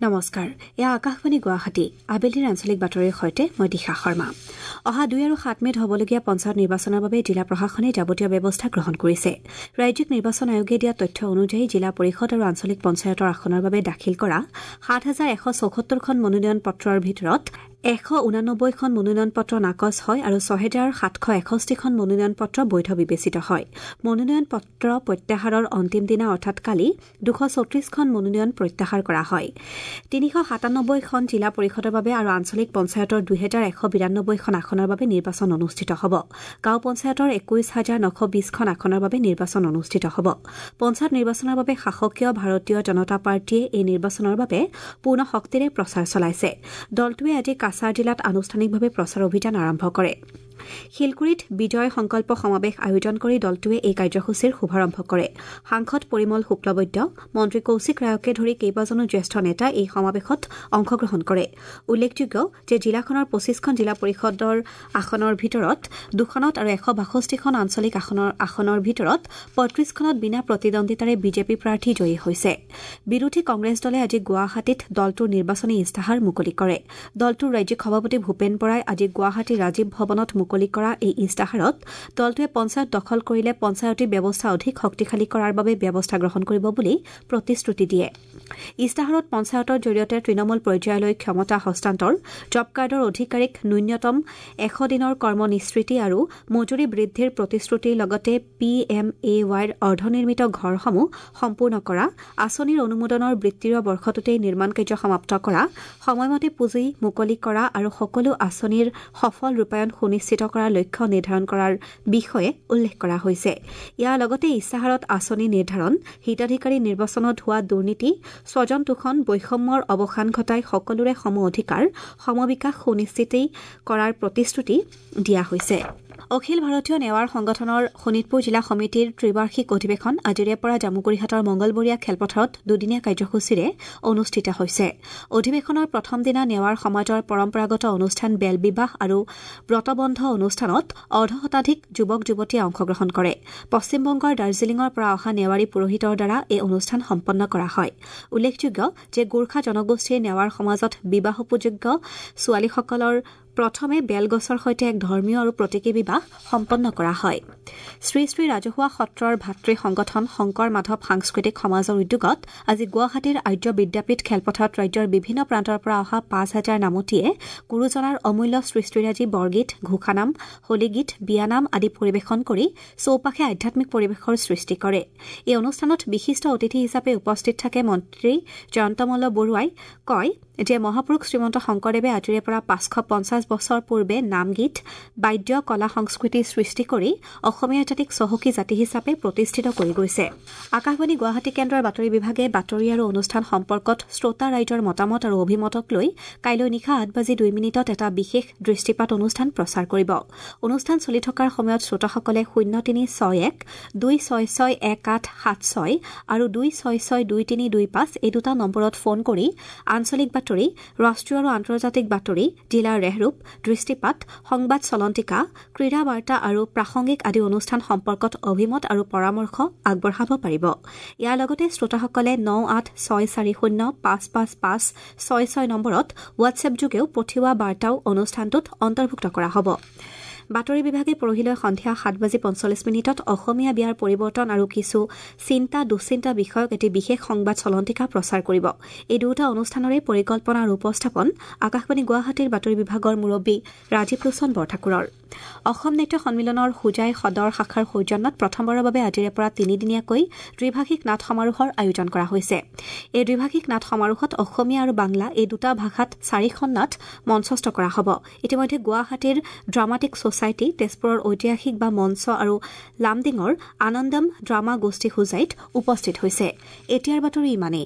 নমস্কাৰ, এয়া আকাশবাণী গুৱাহাটী। আবেলিৰ আঞ্চলিক বাতৰিৰ সৈতে মই দিশা শৰ্মা। অহা 2 আৰু 7 মে'ত হ'বলগীয়া পঞ্চায়ত নিৰ্বাচনৰ বাবে জিলা প্ৰশাসনে যাৱতীয় ব্যৱস্থা গ্ৰহণ কৰিছে। ৰাজ্যিক নিৰ্বাচন আয়োগে দিয়া তথ্য অনুযায়ী জিলা পৰিষদ আৰু আঞ্চলিক পঞ্চায়তৰ আসনৰ বাবে দাখিল কৰা ৭,১৭৪খন মনোনয়ন পত্ৰৰ ভিতৰত ১৮৯খন মনোনয়ন পত্ৰ নাকচ হয় আৰু ৬,৭৬১খন মনোনয়ন পত্ৰ বৈধ বিবেচিত হয়। মনোনয়ন পত্ৰ প্ৰত্যাহাৰৰ অন্তিম দিনা অৰ্থাৎ কালি ২৩৪খন মনোনয়ন প্ৰত্যাহাৰ কৰা হয়। ৩৯৭খন জিলা পৰিষদৰ বাবে আৰু আঞ্চলিক পঞ্চায়তৰ ২,১৯২খন আসনৰ বাবে নিৰ্বাচন অনুষ্ঠিত হ'ব। গাঁও পঞ্চায়তৰ ২১,৯২০খন আসনৰ বাবে নিৰ্বাচন অনুষ্ঠিত হ'ব। পঞ্চায়ত নিৰ্বাচনৰ বাবে শাসকীয় ভাৰতীয় জনতা পাৰ্টীয়ে এই নিৰ্বাচনৰ বাবে পূৰ্ণ শক্তিৰে প্ৰচাৰ চলাইছে। দলটোৱে আজি কাছাৰ জিলাত আনুষ্ঠানিকভাৱে প্ৰচাৰ অভিযান আৰম্ভ কৰে। শিলগুৰিত বিজয় সংকল্প সমাৱেশ আয়োজন কৰি দলটোৱে এই কাৰ্যসূচীৰ শুভাৰম্ভ কৰে। সাংসদ পৰিমল শুক্লবৈদ্য, মন্ত্ৰী কৌশিক ৰায়কে ধৰি কেইবাজনো জ্যেষ্ঠ নেতাই এই সমাৱেশত অংশগ্ৰহণ কৰে। উল্লেখযোগ্য যে জিলাখনৰ ২৫খন জিলা পৰিষদৰ আসনৰ ভিতৰত ২খনত আৰু ১৬২খন আঞ্চলিক আসনৰ ভিতৰত ৩৫খনত বিনা প্ৰতিদ্বন্দ্বিতাৰে বিজেপি প্ৰাৰ্থী জয়ী হৈছে। বিৰোধী কংগ্ৰেছ দলে আজি গুৱাহাটীত দলটোৰ নিৰ্বাচনী ইস্তাহাৰ মুকলি কৰে। দলটোৰ ৰাজ্যিক সভাপতি ভূপেন বৰাই আজি গুৱাহাটীৰ ৰাজীৱ ভৱনত মুকলি কৰা এই ইস্তাহাৰত দলটোৱে পঞ্চায়ত দখল কৰিলে পঞ্চায়তী ব্যৱস্থা অধিক শক্তিশালী কৰাৰ বাবে ব্যৱস্থা গ্ৰহণ কৰিব বুলি প্ৰতিশ্ৰুতি দিয়ে। ইস্তাহাৰত পঞ্চায়তৰ জৰিয়তে তৃণমূল পৰ্যায়লৈ ক্ষমতা হস্তান্তৰ, জব কাৰ্ডৰ অধিকাৰীক ন্যূনতম ১০০ দিনৰ কৰ্ম নিশ্চিতি আৰু মজুৰি বৃদ্ধিৰ প্ৰতিশ্ৰুতিৰ লগতে পি এম এ ৱাইৰ অৰ্ধনিৰ্মিত ঘৰসমূহ সম্পূৰ্ণ কৰা, আঁচনিৰ অনুমোদনৰ বিত্তীয় বৰ্ষটোতেই নিৰ্মাণ কাৰ্য সমাপ্ত কৰা, সময়মতে পুঁজি মুকলি কৰা আৰু সকলো আঁচনিৰ সফল ৰূপায়ণ সুনিশ্চিত কৰাৰ লক্ষ্য নিৰ্ধাৰণ কৰাৰ বিষয়ে উল্লেখ কৰা হৈছে। ইয়াৰ লগতে ইস্তাহাৰত আঁচনি নিৰ্ধাৰণ, হিতাধিকাৰী নিৰ্বাচনত হোৱা দুৰ্নীতি, স্বজন তোষণ, বৈষম্যৰ অৱসান ঘটাই সকলোৰে সম অধিকাৰ, সমবিকাশ সুনিশ্চিত কৰাৰ প্ৰতিশ্ৰুতি দিয়া হৈছে। অখিল ভাৰতীয় নেৱাৰ সংগঠনৰ শোণিতপুৰ জিলা সমিতিৰ ত্ৰিবাৰ্ষিক অধিৱেশন আজিৰে পৰা জামুগুৰিহাটৰ মংগলবৰীয়া খেলপথাৰত দুদিনীয়া কাৰ্যসূচীৰে অনুষ্ঠিত হৈছে। অধিৱেশনৰ প্ৰথম দিনা নেৱাৰ সমাজৰ পৰম্পৰাগত অনুষ্ঠান বেল বিবাহ আৰু ব্ৰতবন্ধ অনুষ্ঠানত অৰ্ধশতাধিক যুৱক যুৱতীয়ে অংশগ্ৰহণ কৰে। পশ্চিমবংগৰ দাৰ্জিলিঙৰ পৰা অহা নেৱাৰী পুৰোহিতৰ দ্বাৰা এই অনুষ্ঠান সম্পন্ন কৰা হয়। উল্লেখযোগ্য যে গোৰ্খা জনগোষ্ঠীৰ নেৱাৰ সমাজত বিবাহোপযোগ্য ছোৱালীসকলৰ প্ৰথমে বেলগছৰ সৈতে এক ধৰ্মীয় আৰু প্ৰতীকী বিবাহ সম্পন্ন কৰা হয়। শ্ৰী শ্ৰী ৰাজহুৱা সত্ৰৰ ভাতৃ সংগঠন শংকৰ মাধৱ সাংস্কৃতিক সমাজৰ উদ্যোগত আজি গুৱাহাটীৰ আৰ্য বিদ্যাপীঠ খেলপথাৰত ৰাজ্যৰ বিভিন্ন প্ৰান্তৰ পৰা অহা ৫,০০০ নামতীয়ে গুৰুজনাৰ অমূল্য সৃষ্টিৰাজি বৰগীত, ঘোষানাম, হোলীগীত, বিয়ানাম আদি পৰিৱেশন কৰি চৌপাশে আধ্যাত্মিক পৰিৱেশৰ সৃষ্টি কৰে। এই অনুষ্ঠানত বিশিষ্ট অতিথি হিচাপে উপস্থিত থাকে মন্ত্ৰী জয়ন্ত মল্ল বৰুৱাই কয় যে মহাপুৰুষ শ্ৰীমন্ত শংকৰদেৱে আজিৰে পৰা ৫৫০ বছৰ পূৰ্বে নামগীত, বাদ্য, কলা সংস্কৃতি সৃষ্টি কৰি অসমীয়া জাতিক চহকী জাতি হিচাপে প্ৰতিষ্ঠিত কৰি গৈছে। আকাশবাণী গুৱাহাটী কেন্দ্ৰৰ বাতৰি বিভাগে বাতৰি আৰু অনুষ্ঠান সম্পৰ্কত শ্ৰোতা ৰাইজৰ মতামত আৰু অভিমতক লৈ কাইলৈ নিশা ৮:০২ এটা বিশেষ দৃষ্টিপাত অনুষ্ঠান প্ৰচাৰ কৰিব। অনুষ্ঠান চলি থকাৰ সময়ত শ্ৰোতাসকলে ০৩৬১ ২৬৬ ১৮৭৬ আৰু ২৬৬ ২৩২৫ এই দুটা নম্বৰত ফোন কৰি আঞ্চলিক বাতৰি, ৰাষ্ট্ৰীয় আৰু আন্তৰ্জাতিক বাতৰি, জিলাৰ ৰেহৰূপ, দৃষ্টিপাত, সংবাদ চলন্তিকা, ক্ৰীড়া বাৰ্তা আৰু প্ৰাসংগিক আদি অনুষ্ঠান সম্পৰ্কত অভিমত আৰু পৰামৰ্শ আগবঢ়াব পাৰিব। ইয়াৰ লগতে শ্ৰোতাসকলে ৯৮৬৪০ ৫৫৫৬৬ নম্বৰত হোৱাটছএপ যোগেও পঠিওৱা বাৰ্তাও অনুষ্ঠানটোত অন্তৰ্ভুক্ত কৰা হ'ব। বাতৰি বিভাগে পৰহিলৈ সন্ধিয়া ৭:৪৫ অসমীয়া বিয়াৰ পৰিৱৰ্তন আৰু কিছু চিন্তা দুশ্চিন্তা বিষয়ক এটি বিশেষ সংবাদ চলন্তিকা প্ৰচাৰ কৰিব। এই দুয়োটা অনুষ্ঠানৰে পৰিকল্পনা আৰু উপস্থাপন আকাশবাণী গুৱাহাটীৰ বাতৰি বিভাগৰ মুৰব্বী ৰাজীৱ লোচন বৰঠাকুৰৰ। অসম নাট্য সন্মিলনৰ হোজাই সদৰ শাখাৰ সৌজন্যত প্ৰথমবাৰৰ বাবে আজিৰে পৰা তিনিদিনীয়াকৈ ত্ৰিভাষিক নাট সমাৰোহৰ আয়োজন কৰা হৈছে। এই দ্বিভাষিক নাট সমাৰোহত অসমীয়া আৰু বাংলা এই দুটা ভাষাত ৪খন নাট মঞ্চস্থ কৰা হ'ব। ইতিমধ্যে গুৱাহাটীৰ ড্ৰামাটিক ছ'চাইটি, তেজপুৰৰ ঐতিহাসিক বা মঞ্চ আৰু লামডিঙৰ আনন্দম ড্ৰামা গোষ্ঠী হোজাইত উপস্থিত হৈছে। এতিয়াৰ বাতৰি ইমানেই।